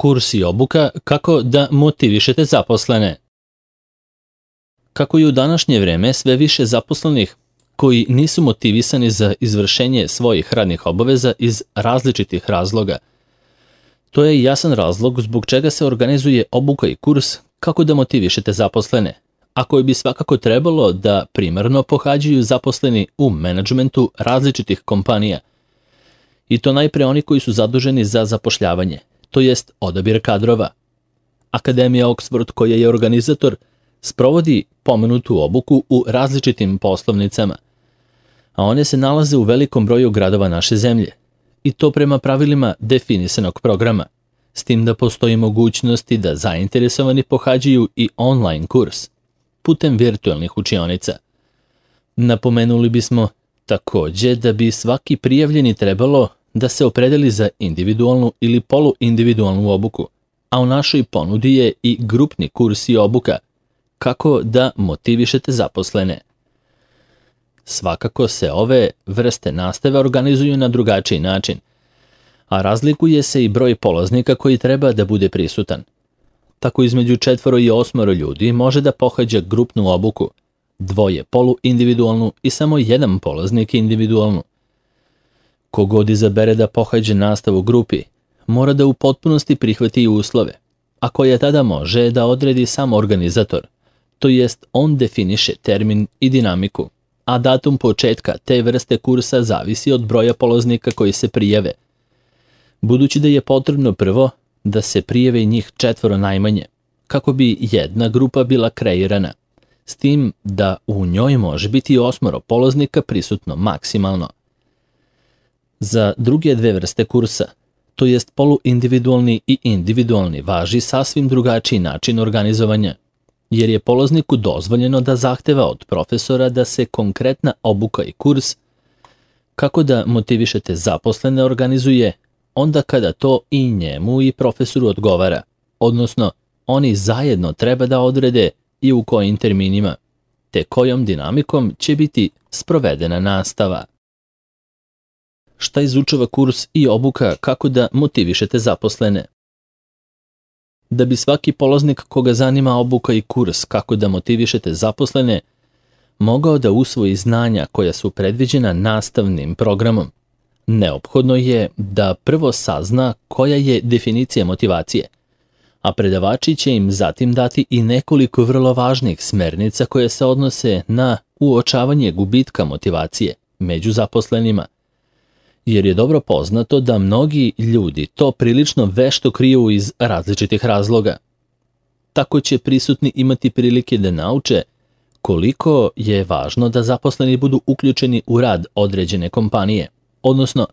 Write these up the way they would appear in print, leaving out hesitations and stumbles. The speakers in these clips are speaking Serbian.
Kurs i obuka kako da motivišete zaposlene. Kako je u današnje vreme sve više zaposlenih koji nisu motivisani za izvršenje svojih radnih obaveza iz različitih razloga. To je jasan razlog zbog čega se organizuje obuka i kurs kako da motivišete zaposlene, a koji bi svakako trebalo da primarno pohađaju zaposleni u menadžmentu različitih kompanija. I to najpre oni koji su zaduženi za zapošljavanje, to jest odabir kadrova. Akademija Oxford, koja je organizator, sprovodi pomenutu obuku u različitim poslovnicama, a one se nalaze u velikom broju gradova naše zemlje, i to prema pravilima definisanog programa, s tim da postoji mogućnosti da zainteresovani pohađaju i online kurs, putem virtualnih učionica. Napomenuli bismo takođe da bi svaki prijavljeni trebalo da se opredeli za individualnu ili poluindividualnu obuku, a u našoj ponudi je i grupni kurs i obuka, kako da motivišete zaposlene. Svakako se ove vrste nastave organizuju na drugačiji način, a razlikuje se i broj polaznika koji treba da bude prisutan. Tako između 4 i 8 ljudi može da pohađa grupnu obuku, 2 poluindividualnu i samo 1 polaznik individualnu. Kogod izabere da pohađa nastavu u grupi, mora da u potpunosti prihvati uslove, a koje tada može da odredi sam organizator, to jest on definiše termin i dinamiku, a datum početka te vrste kursa zavisi od broja polaznika koji se prijave. Budući da je potrebno prvo da se prijave njih 4 najmanje, kako bi jedna grupa bila kreirana, s tim da u njoj može biti 8 polaznika prisutno maksimalno. Za druge 2 vrste kursa, to jest poluindividualni i individualni, važi sasvim drugačiji način organizovanja, jer je polazniku dozvoljeno da zahteva od profesora da se konkretna obuka i kurs kako da motivišete zaposlene organizuje onda kada to i njemu i profesoru odgovara, odnosno oni zajedno treba da odrede i u kojim terminima, te kojom dinamikom će biti sprovedena nastava. Šta izučava kurs i obuka kako da motivišete zaposlene? Da bi svaki polaznik koga zanima obuka i kurs kako da motivišete zaposlene mogao da usvoji znanja koja su predviđena nastavnim programom, neophodno je da prvo sazna koja je definicija motivacije, a predavači će im zatim dati i nekoliko vrlo važnih smernica koje se odnose na uočavanje gubitka motivacije među zaposlenima, jer je dobro poznato da mnogi ljudi to prilično vešto kriju iz različitih razloga. Tako će prisutni imati prilike da nauče koliko je važno da zaposleni budu uključeni u rad određene kompanije, odnosno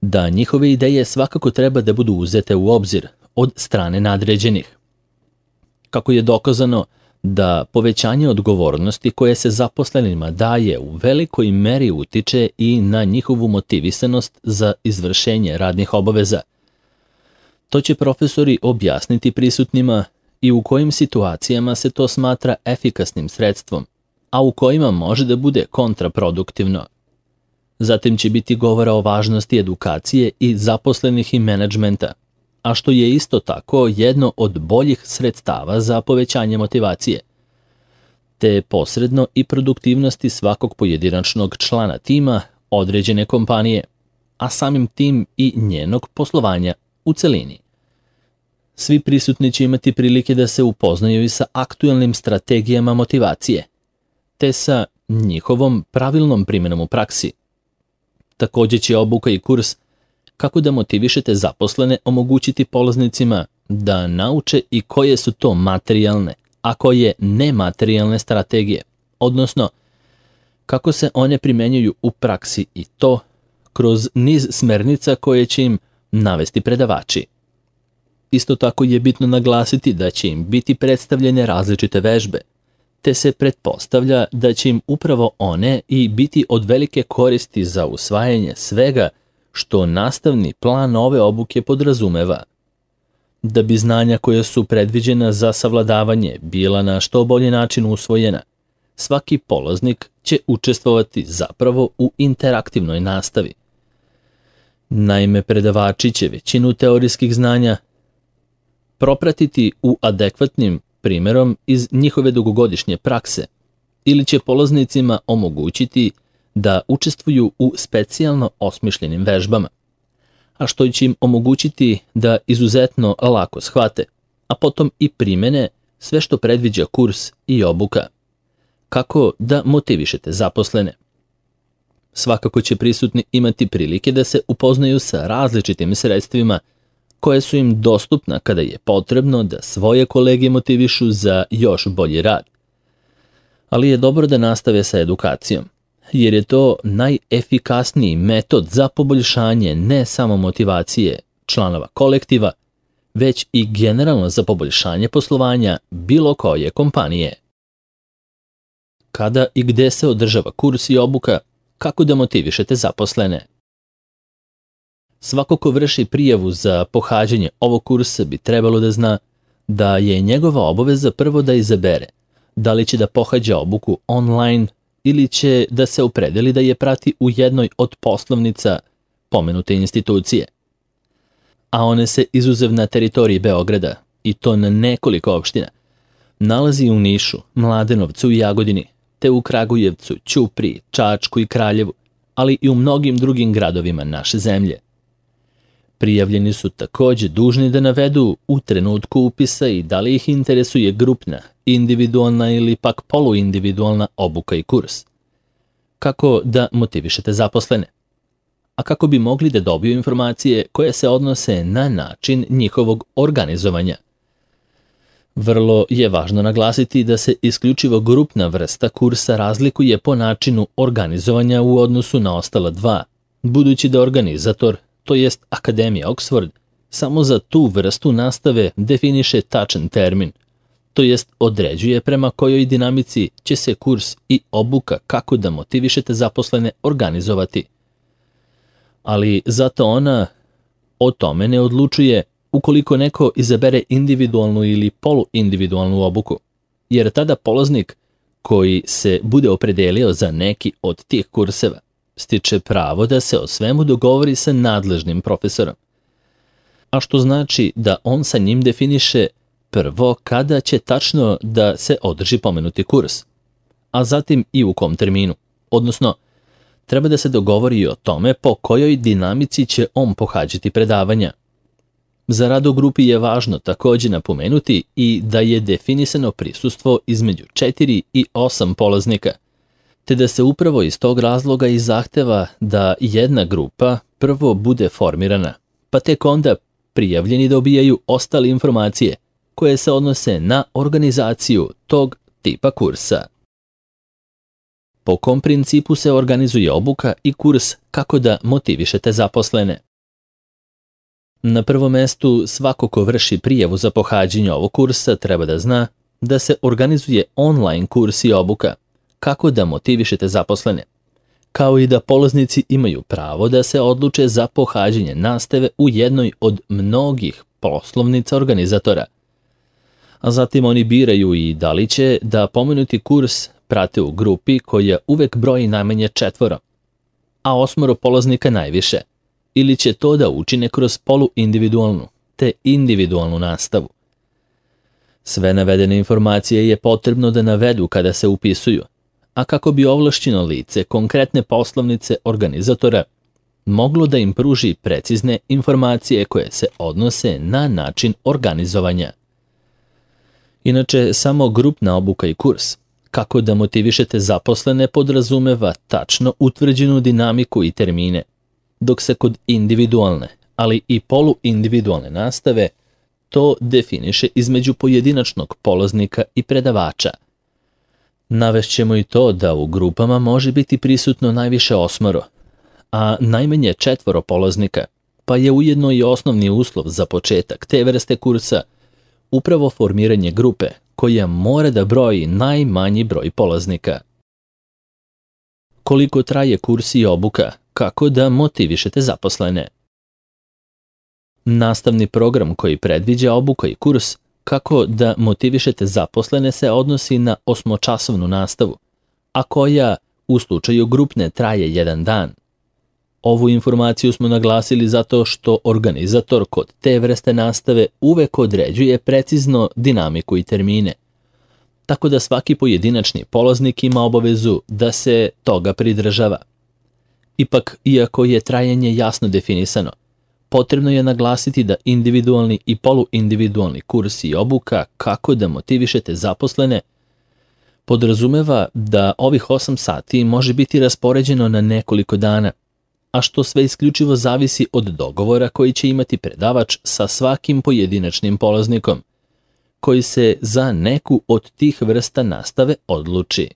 da njihove ideje svakako treba da budu uzete u obzir od strane nadređenih. Kako je dokazano da povećanje odgovornosti koje se zaposlenima daje u velikoj meri utiče i na njihovu motivisanost za izvršenje radnih obaveza. To će profesori objasniti prisutnima i u kojim situacijama se to smatra efikasnim sredstvom, a u kojima može da bude kontraproduktivno. Zatim će biti govora o važnosti edukacije i zaposlenih i menadžmenta, a što je isto tako jedno od boljih sredstava za povećanje motivacije, te posredno i produktivnosti svakog pojedinačnog člana tima određene kompanije, a samim tim i njenog poslovanja u celini. Svi prisutni će imati prilike da se upoznaju i sa aktuelnim strategijama motivacije, te sa njihovom pravilnom primjenom u praksi. Takođe će obuka i kurs kako da motivišete zaposlene omogućiti polaznicima da nauče i koje su to materijalne, a koje nematerijalne strategije, odnosno kako se one primenjuju u praksi i to kroz niz smernica koje će im navesti predavači. Isto tako je bitno naglasiti da će im biti predstavljene različite vežbe, te se pretpostavlja da će im upravo one i biti od velike koristi za usvajanje svega što nastavni plan ove obuke podrazumeva. Da bi znanja koja su predviđena za savladavanje bila na što bolji način usvojena, svaki polaznik će učestvovati zapravo u interaktivnoj nastavi. Naime, predavači će većinu teorijskih znanja propratiti u adekvatnim primjerom iz njihove dugogodišnje prakse ili će polaznicima omogućiti da učestvuju u specijalno osmišljenim vežbama, a što će im omogućiti da izuzetno lako shvate, a potom i primene sve što predviđa kurs i obuka. Kako da motivišete zaposlene? Svakako će prisutni imati prilike da se upoznaju sa različitim sredstvima koje su im dostupna kada je potrebno da svoje kolege motivišu za još bolji rad. Ali je dobro da nastave sa edukacijom, jer je to najefikasniji metod za poboljšanje ne samo motivacije članova kolektiva, već i generalno za poboljšanje poslovanja bilo koje kompanije. Kada i gde se održava kurs i obuka, kako da motivišete zaposlene? Svako ko vrši prijavu za pohađanje ovog kursa bi trebalo da zna da je njegova obaveza prvo da izabere da li će da pohađa obuku online ili će da se opredeli da je prati u jednoj od poslovnica pomenute institucije. A one se izuzev na teritoriji Beograda, i to na nekoliko opština, nalazi u Nišu, Mladenovcu i Jagodini, te u Kragujevcu, Ćupriji, Čačku i Kraljevu, ali i u mnogim drugim gradovima naše zemlje. Prijavljeni su takođe dužni da navedu u trenutku upisa i da li ih interesuje grupna, individualna ili pak poluindividualna obuka i kurs. Kako da motivišete zaposlene? A kako bi mogli da dobiju informacije koje se odnose na način njihovog organizovanja? Vrlo je važno naglasiti da se isključivo grupna vrsta kursa razlikuje po načinu organizovanja u odnosu na ostala dva, budući da organizator, to jest Akademija Oxford, samo za tu vrstu nastave definiše tačan termin, to jest određuje prema kojoj dinamici će se kurs i obuka kako da motivišete zaposlene organizovati. Ali zato ona o tome ne odlučuje ukoliko neko izabere individualnu ili poluindividualnu obuku, jer tada polaznik koji se bude opredelio za neki od tih kurseva stiče pravo da se o svemu dogovori sa nadležnim profesorom, a što znači da on sa njim definiše prvo kada će tačno da se održi pomenuti kurs, a zatim i u kom terminu, odnosno treba da se dogovori o tome po kojoj dinamici će on pohađati predavanja. Za rad u grupi je važno takođe napomenuti i da je definisano prisustvo između 4 i 8 polaznika, te da se upravo iz tog razloga i zahteva da jedna grupa prvo bude formirana, pa tek onda prijavljeni dobijaju ostale informacije koje se odnose na organizaciju tog tipa kursa. Po kom principu se organizuje obuka i kurs kako da motivišete zaposlene? Na prvom mestu, svako ko vrši prijavu za pohađanje ovog kursa treba da zna da se organizuje online kurs i obuka kako da motivišete zaposlene, kao i da polaznici imaju pravo da se odluče za pohađanje nastave u jednoj od mnogih poslovnica organizatora. A zatim oni biraju i da li će da pomenuti kurs prate u grupi koja uvek broji najmanje 4, a 8 polaznika najviše, ili će to da učine kroz poluindividualnu te individualnu nastavu. Sve navedene informacije je potrebno da navedu kada se upisuju, a kako bi ovlašćeno lice konkretne poslovnice organizatora moglo da im pruži precizne informacije koje se odnose na način organizovanja. Inače, samo grupna obuka i kurs kako da motivišete zaposlene podrazumeva tačno utvrđenu dinamiku i termine, dok se kod individualne, ali i poluindividualne nastave to definiše između pojedinačnog polaznika i predavača. Navešćemo i to da u grupama može biti prisutno najviše 8, a najmanje 4 polaznika, pa je ujedno i osnovni uslov za početak te vrste kursa upravo formiranje grupe koja mora da broji najmanji broj polaznika. Koliko traje kurs i obuka, kako da motivišete zaposlene? Nastavni program koji predviđa obuka i kurs kako da motivišete zaposlene se odnosi na 8-časovnu nastavu, a koja u slučaju grupne traje 1 dan. Ovu informaciju smo naglasili zato što organizator kod te vrste nastave uvek određuje precizno dinamiku i termine, tako da svaki pojedinačni polaznik ima obavezu da se toga pridržava. Ipak, iako je trajanje jasno definisano, potrebno je naglasiti da individualni i poluindividualni kurs i obuka kako da motivišete zaposlene podrazumeva da ovih 8 sati može biti raspoređeno na nekoliko dana, a što sve isključivo zavisi od dogovora koji će imati predavač sa svakim pojedinačnim polaznikom, koji se za neku od tih vrsta nastave odluči.